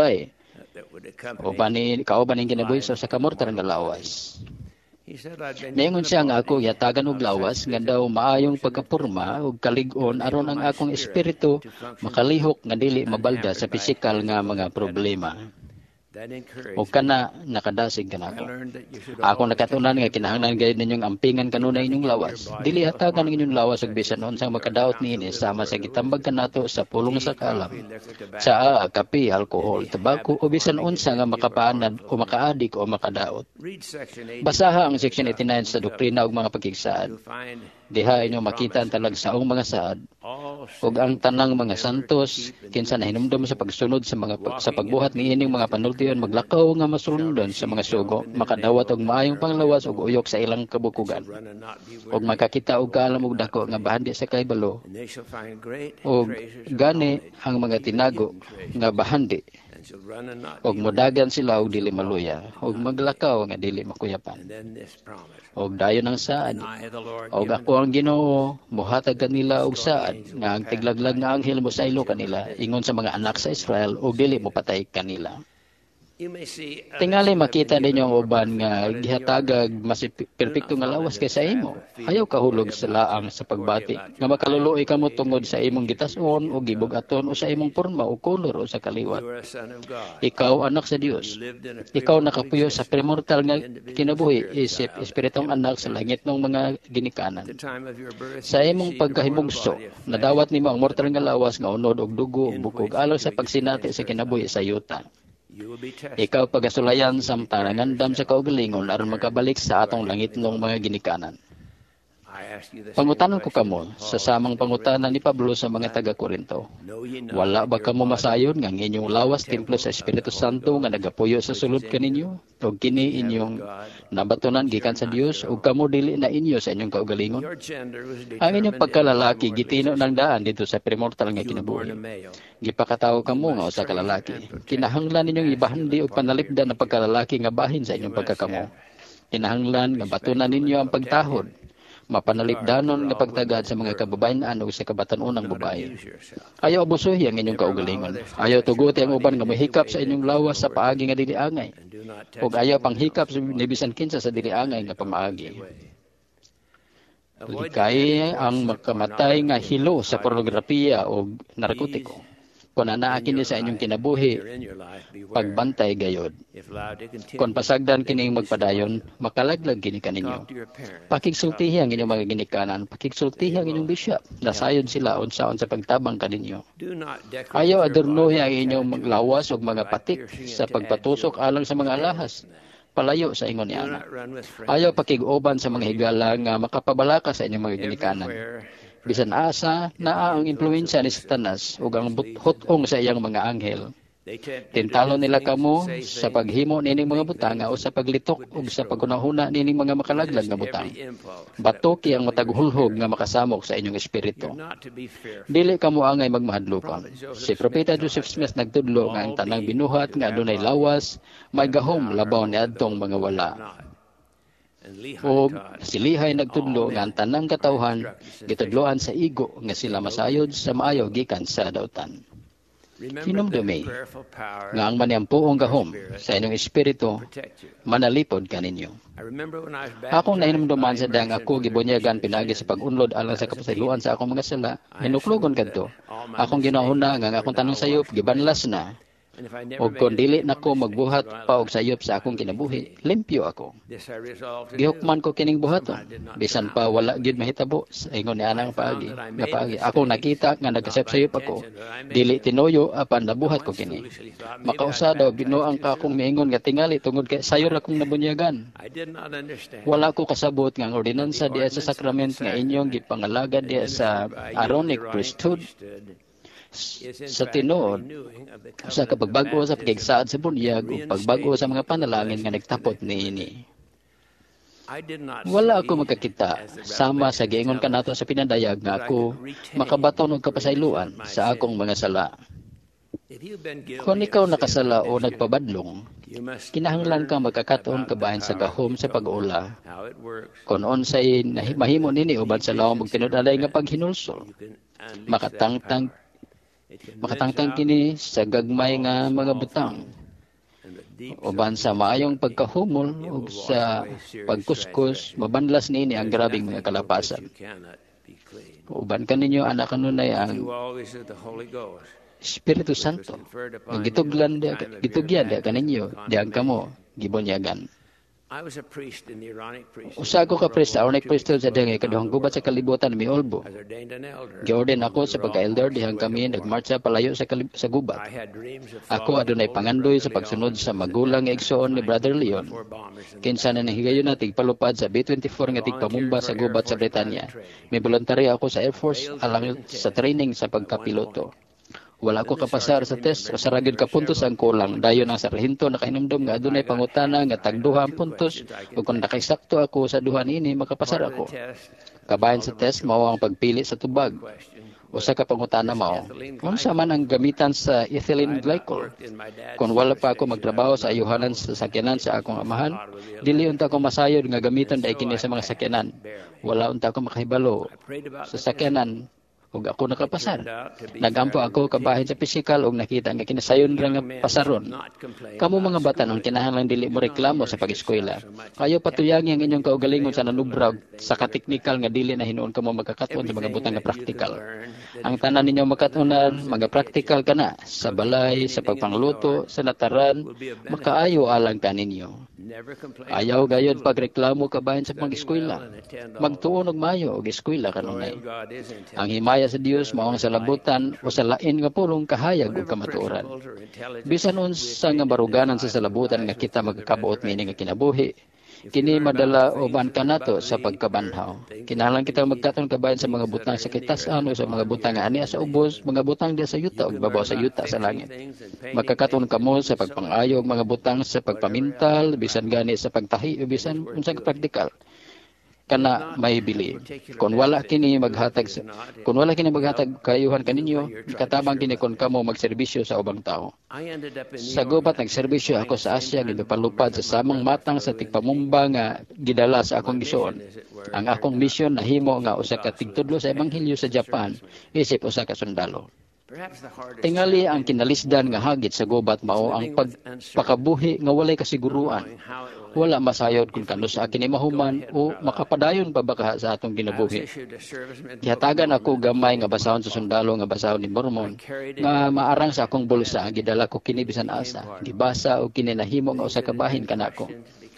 sulay. That would accompany. Uban ni kauban ning kinabuhi sa usa ka mortal nga lawas. He said I'd been Niingon given a siya nga ako body gihatagan og of such lawas nga physical daw maayong function pagkaporma ug kalig-on aron ang akong espiritu makalihok nga dili mabalda sa pisikal nga mga problema. Ug kana nakadasig kanako. Ako nakatunan nga kinahanglan gayud ninyong ampingan kanunay inyong lawas. Dili hatagan ang inyong lawas og bisan unsang makadaot niini sama sa gitambag kanato sa pulong sa kaalam. Tsaa, kape, alkohol, tabako o bisan unsa nga makapaanad o makaadik o makadaot. Basaha ang Section 89 sa Doktrina ug mga Pakigsaad. Diha inyo makita ang talagsaong mga saad ug ang tanang mga santos kinsa nahinumdom sa pagsunod sa pagbuhat niining mga panultion maglakaw nga masulundon sa mga sugo, makadawat og maayong panglawas ug uyok sa ilang kabukugan ug makakita og kaalam ug dako nga bahandi sa kahibalo ug gani ang mga tinago nga bahandi, ug modagan sila og dili maluya ug maglakaw nga dili makuyapan. Og dayon ang saad, "Og ako ang Ginoo mohatag kanila og saad nga ang tiglaglag nga anghel mosaylo kanila ingon sa mga anak sa Israel ug dili mopatay kanila." Tingali makita ninyo ang uban nga gihatagag mas perpekto nga lawas kaysa imo. Ayaw kahulog sa laang sa pagbati nga makaluluoy kamo tungod sa imong gitas-on o gibug-aton o sa imong porma o kolor o sa kaliwat. Ikaw anak sa Dios. Ikaw nakapuyo sa premortal nga kinabuhi isip espiritong anak sa langit ng mga ginikanan. Sa imong pagkahimugso, nadawat nimo ang mortal nga lawas nga unod og dugo ug bukog alang sa pagsinati sa kinabuhi sa yuta. Ikaw pagasulayan samtang nangandam sa kaugalingon aron makabalik sa atong langitnong mga ginikanan. Pangutanan ko kamo sa samang pangutana ni Pablo sa mga taga-Korinto. "Wala ba kamo masayon nga ang inyong lawas templo sa Espiritu Santo nga nagapuyo sa sulod kaninyo? Ug kini inyong nabatonan gikan sa Dios, ug kamo dili na inyo sa inyong kaugalingon?" Ang inyong pagkalalaki gitino ng daan dito sa premortal nga kinabuhi. Gipakatawo kamo nga usa ka lalaki. Kinahanglan ninyong ibahandi og panalipdan ang pagkalalaki nga bahin sa inyong pagkakamo. Kinahanglan nga batunan ninyo ang pagtahod, mapanalipdanon nga pagtagad sa mga kababayen-an ug sa kabatan-unang babae. Ayaw abusuhi ang inyong kaugalingon. Ayaw tuguti ang uban nga mohikap sa inyong lawas sa paagi nga dili angay. Ug ayaw panghikap ni bisan kinsa sa dili angay nga pamaagi. Likay ang makamatay nga hilo sa pornografiya o narkotiko. Kung anaa kini sa inyong kinabuhi, pagbantay gayod. Kung pasagdan kining magpadayon, makalaglag kini kaninyo. Pakigsultihi ang inyong mga ginikanan, pakigsultihi ang inyong bishop. Nasayod sila unsaon sa pagtabang kaninyo. Ayaw adornohi ang inyong lawas og mga patik sa pagpatusok alang sa mga alahas. Palayo sa ingon ni ana. Ayaw pakig-uban sa mga higala nga makapabalaka sa inyong mga ginikanan. Bisan asa naa ang impluwensya ni Satanas ug ang hutong sa iyang mga anghel. Tintalo nila kamo sa paghimo nining mga butanga o sa paglitok ug sa paghunahuna nining mga makalaglag nga butang. Batuki ang matag hulhog nga makasamok sa inyong espiritu. Dili kamo angay magmahadlokon. Si Propeta Joseph Smith nagtudlo nga ang tanang binuhat nga adunay lawas may gahom labaw niadtong mga wala. O si Lihay nagtudlo nga ang tanang katawhan gitudloan sa igo nga sila masayod sa maayo gikan sa dautan. Hinumdumi nga ang maniampuong gahom sa inyong espiritu manalipod kaninyo. Akong nahinumduman sa dang ako gibunyagan pinagi sa pag-unlod alang sa kapasayloan sa akong mga sala, hinuklogon kadto. Akong ginahuna nga ang akong tanang sayop gibanlas na. Og kon dili nako magbuhat pa og sayop sa akong kinabuhi, limpyo ako. Gihukman ko kining buhaton, bisan pa wala gyud mahitabo sa ingon ni anang paagi. Nga paagi ako nakita nga nagkasayop-sayop ako, dili tinuyo apan nabuhat ko kini. Makausa daw binuang ka akong miingon nga tingali tungod kay sayor akong nabunyagan. Wala ko kasabot nga ang ordinansa diha sa sakrament nga inyong gipangalagad diha sa Aaronic priesthood sa tinuod sa kapagbag-o sa pakigsaad sa bunyag ug pagbag-o sa mga panalangin nga nagtapot niini. Wala ako makakita sama sa giingon kanato sa pinadayag nga ako makabaton og kapasayloan sa akong mga sala. Kung ikaw nakasala o nagpabadlong, kinahanglan kang magkakatuon kabahin sa gahom sa pag-ula. Kung unsay mahimo nini uban sa lawom og tinud-anay nga paghinulsol, makatangtang kini sa gagmay nga mga butang uban sa maayong pagkahumol ug sa pagkuskus, mabanlas niini ang grabeng mga kalapasan. Uban kaninyo anak kanunay ang Espiritu Santo nga gituglan gitugyan diha kaninyo diyan kamo gibunyagan. Usa ko ka priest sa Aaronic Priesthood sa dihang ikaduhang gubat sa kalibutan, miulbo. Giorden ako sa pagka-elder dihang kami nagmarcha palayo sa gubat. Ako adunay pangandoy sa pagsunod sa magulang nga igsoon ni Brother Leon, kinsa na nahigayon na tigpalupad sa B-24 nga tigpamumba sa gubat sa Britanya. May voluntaryo ako sa Air Force alang sa training sa pagkapiloto. Wala ko kapasar sa test, usa ra gyud ka puntos ang kulang. Dayon ang sarhento nakahinumdom nga adunay pangutana nga tagduha ang puntos ug kung nakaisakto ako sa duha niini, makapasar ako. Kabahin sa test mao ang pagpili sa tubag. Usa ka pangutana mao, "Unsa man ang gamitan sa ethylene glycol?" Kung wala pa ako magtrabaho sa ayuhanan sa sakyanan sa akong amahan, dili unta ako masayod nga gamiton diay kini sa mga sakyanan. Wala unta ako makahibalo sa sakyanan ug ako nakapasar. Nagampo ako kabahin sa pisikal ug nakita nga kinasayon ra nga pasaron. Kamo mga batanon, kinahanglan dili mo reklamo sa pag-eskwela. Kayo patuyangi ang inyong kaugalingon sa nanubra sa kateknikal nga dili na hinuon kamo magkakat-on sa mga butang nga praktikal. Ang tanan ninyo makat-onan, mga praktikal kana sa balay, sa pagpangluto, sa nataran, makaayo alang kaninyo. Ayaw gayod pagreklamo kabahin sa pag-eskwela. Magtuon og maayo og eskwela kanunay. Ang himaya sa Dios mao ang salabutan o sa lain nga pulong, kahayag ug kamatuoran. Bisan unsa nga baruganan sa salabutan nga kita magkakabuot niini nga kinabuhi, kini madala uban kanato sa pagkabanhaw. Kinahanglan kita magkat-on kabahin sa mga butang sa kitas-an o sa mga butang nga ania sa ubos, mga butang diya sa yuta ug babaw sa yuta sa langit. Magkakaton kamo sa pagpangayo og mga butang sa pagpamintal, bisan gani sa pagtahi o bisan unsang praktikal kana may bili. Kung wala kini maghatag kayuhan kaninyo, katabang kini kon kamo magserbisyo sa ubang tao. Sa gubat nagserbisyo ako sa Asya, gipalupad sa samang matang sa tigpamumba nga gidala sa akong gisuon. Ang akong misyon nahimo nga usa ka tigtudlo sa ebanghelyo sa Japan isip usa ka sundalo. Tingali ang kinalisdan nga hagit sa gubat mao ang pagpakabuhi nga walay kasiguruan. Wala masayod kung kanus-a kini mahuman o makapadayon pa ba kaha sa atong kinabuhi. Gihatagan ako gamay nga basahon sa sundalo nga basahon ni Mormon nga maarang sa akong bulsa. Gidala ko kini bisan asa. Gibasa og kini nahimo nga usa ka bahin kanako.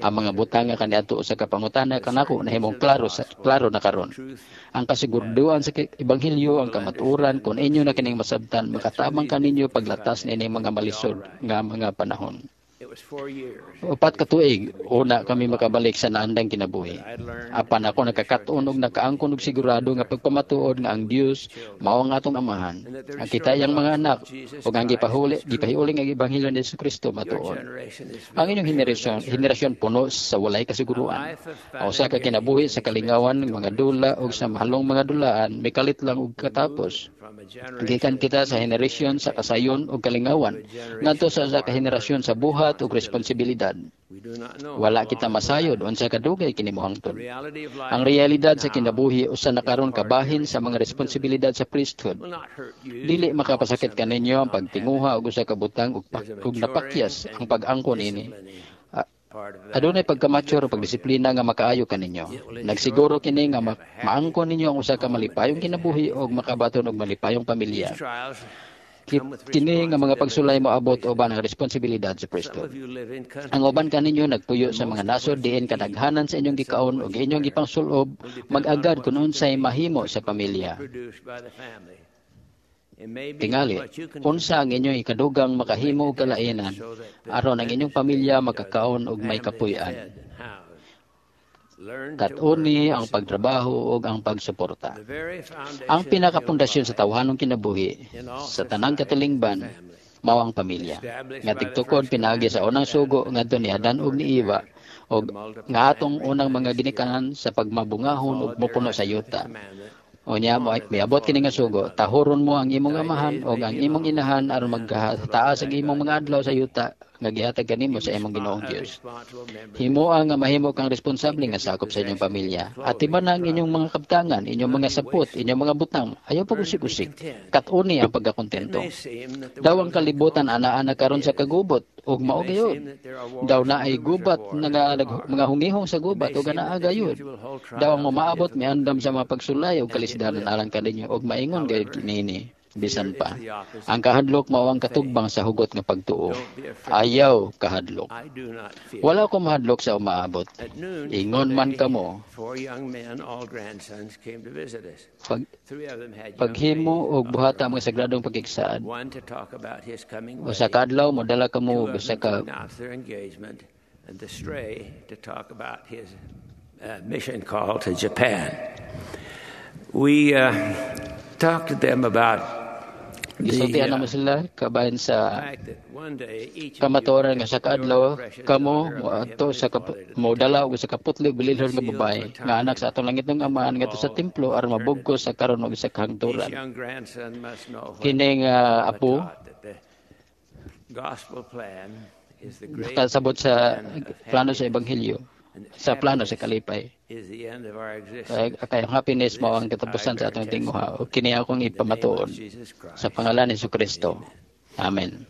Ang mga butang nga kaniadto usa ka pangutana kanako nahimong klaro na karon. Ang kasigurduan sa ebanghelyo, ang kamatuoran, kon inyo na kining masabtan, makatabang kaninyo paglatas niining mga malisod nga mga panahon. 4 ka tuig una kami makabalik sa naandang kinabuhi. Apan ako nakakaton og nakaangkon og sigurado nga pagpamatuod nga ang Dios mao ang atong amahan. Ang kita iyang mga anak ug ang gipahiuling ang ebanghelyo ni Kristo matuod. Ang inyong henerasyon puno sa walay kasiguruan. Ang usa ka kinabuhi sa kalingawan mga dula ug sa mahalong mga dulaan mikalit lang og katapos. Gikan kita sa henerasyon sa kasayon ug kalingawan ngadto sa usa ka henerasyon sa buhat ug responsibilidad. Wala kita masayod unsa kadugay kini mohangtod. Ang realidad sa kinabuhi usa na karon kabahin sa mga responsibilidad sa priesthood. Dili makapasakit kaninyo ang pagtinguha og usa ka butang ug napakyas ang pag-angkon ini. Adunay pagka-mature o pagdisiplina nga makaayo kaninyo. Nagsiguro kini nga maangkon ninyo ang usa ka malipayong kinabuhi og makabaton og malipayong pamilya. Kini nga mga pagsulay moabot uban ang responsibilidad sa priesthood. Ang uban kaninyo nagpuyo sa mga nasod diin kadaghanan sa inyong gikaon ug inyong gipangsulob mag-agad kung unsay mahimo sa pamilya. Tingali, unsa ang inyong ikadugang makahimo og kalainan aron ang inyong pamilya makakaon og may kapuy-an? Kat-oni ang pagtrabaho ug ang pagsuporta. Ang pinakapundasyon sa tawhanong kinabuhi sa tanang katilingban mao ang pamilya. Nga tigtukod pinaagi sa unang sugo ngadto ni Adan ug ni Eva ug nga atong unang mga ginikanan sa pagmabungahon ug mopuno sa yuta. Unya mo miabot kini nga sugo, "Tahuron mo ang imong amahan ug ang imong inahan aron magtaas ang imong mga adlaw sa yuta nga gihatag kanimo sa imong Ginoong Dios." Himoa nga mahimo kang responsable nga sakop sa inyong pamilya. Atiman ang inyong mga kabtangan, inyong mga sapot, inyong mga butang. Ayaw pag-usik-usik. Kat-uni ang pagkakontento. Daw ang kalibutan ana-ana karon sa kagubot ug mao gayud. Daw naay gubat nga mga hungihong sa gubat ug anaa gayud. Daw ang momaabot miandam sa mga pagsulay ug kalisdanan alang kaninyo ug maingon gayud kini. Bisan pa. Ang kahadlok mao ang katugbang sa hugot nga pagtuo. Ayaw kahadlok. Wala ko mahadlok sa umaabot. Ingon man kamo, paghimo og buhata mga sagradong pagkiksaad. Usa ka adlaw modala kamo og usa ka and the stray to talk about his mission call to Japan. We talked to them about Gisultihan namo sila kabahin sa kamatuoran nga sa kaadlaw kamo moadto sa modala og sa kaputli bililhon nga babae nga anak sa atong langitnong Amahan ngadto sa templo aron mabugkos sa karon og sa kahangturan. Kining apo nakasabot sa plano sa ebanghelyo, sa plano sa kalipay. Kaya ang happiness mao ang katapusan sa atong tinguha. Kini akong ipamatuod sa pangalan ni Jesucristo. Amen.